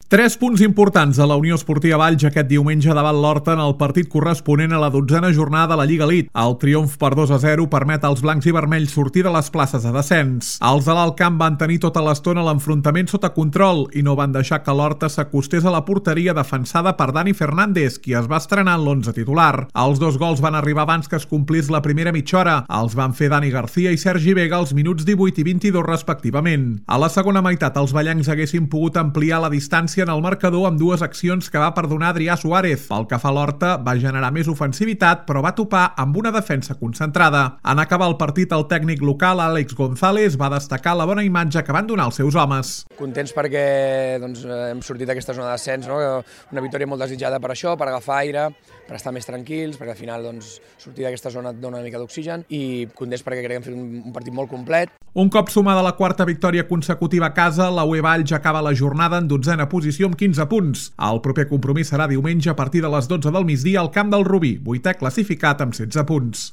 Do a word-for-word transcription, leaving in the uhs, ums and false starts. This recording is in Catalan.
Tres punts importants a la Unió Esportiva Valls aquest diumenge davant l'Horta en el partit corresponent a la dotzena jornada de la Lliga Elite. El triomf per dos a zero permet als blancs i vermells sortir de les places de descens. Els de l'Alt Camp van tenir tota l'estona l'enfrontament sota control i no van deixar que l'Horta s'acostés a la porteria defensada per Dani Fernández, qui es va estrenar en l'onze titular. Els dos gols van arribar abans que es complís la primera mitja hora. Els van fer Dani García i Sergi Vega als minuts divuit i vint-i-dos respectivament. A la segona meitat els ballencs haguessin pogut ampliar la distància en el marcador amb dues accions que va perdonar Adrià Suárez. Pel que fa a l'Horta, va generar més ofensivitat, però va topar amb una defensa concentrada. En acabar el partit, el tècnic local, Àlex González, va destacar la bona imatge que van donar els seus homes. Contents perquè doncs, hem sortit d'aquesta zona de descens, no? Una victòria molt desitjada per això, per agafar aire, per estar més tranquils, perquè al final doncs, sortir d'aquesta zona et dona una mica d'oxigen, i contents perquè crec que hem fet un, un partit molt complet. Un cop sumada la quarta victòria consecutiva a casa, la U E Valls acaba la jornada en dotzena posició amb quinze punts. El proper compromís serà diumenge a partir de les dotze del migdia al camp del Rubí, vuitè classificat amb setze punts.